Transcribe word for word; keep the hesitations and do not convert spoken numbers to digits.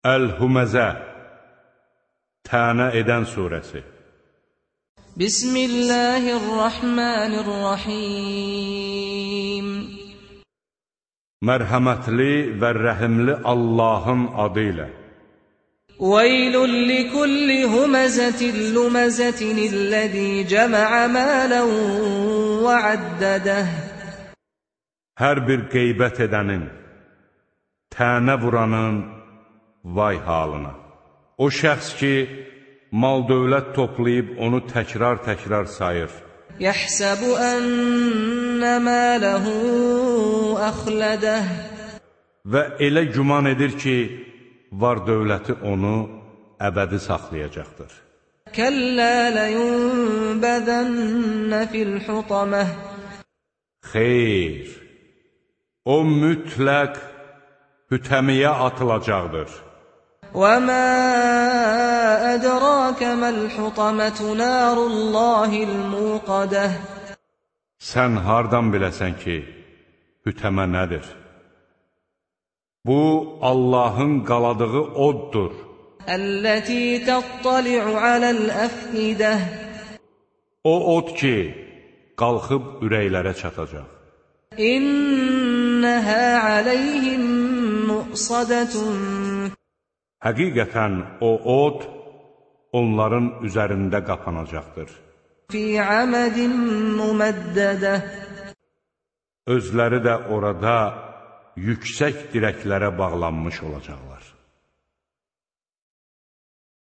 Əl-Huməzə Tənə edən surəsi. Bismillahirrahmanirrahim. Mərhəmətli və rəhimli Allahın adı ilə. Veylun likulli huməzətin luməzətin illəzi cəmə'ə mələn və əddədəh. Hər bir qeybət edənin, tənə vuranın vay halına. O şəxs ki, mal-dövlət toplayıb onu təkrar-təkrar sayır. Yəhsəbu ənnə mələhu əxlədəh. Və elə güman edir ki, var-dövləti onu əbədi saxlayacaqdır. Kəllə ləyunbəzənnə fil-xutaməh. Xeyr, o mütləq hütəmiyə atılacaqdır. وَمَا أَدْرَاكَ مَا الْحُطَمَةُ نَارُ اللَّهِ الْمُوقَدَةُ. Sən hardan biləsən ki, hütəmə nədir? Bu, Allahın qaladığı oddur. الَّتِي تَطَّلِعُ عَلَى الْأَفْئِدَةِ. O od ki, qalxıb ürəklərə çatacaq. İnnəhə aləyhim muqsadətun. Həqiqətən o od onların üzərində qapanacaqdır. Fi amədin müməddə. Özləri də orada yüksək dirəklərə bağlanmış olacaqlar.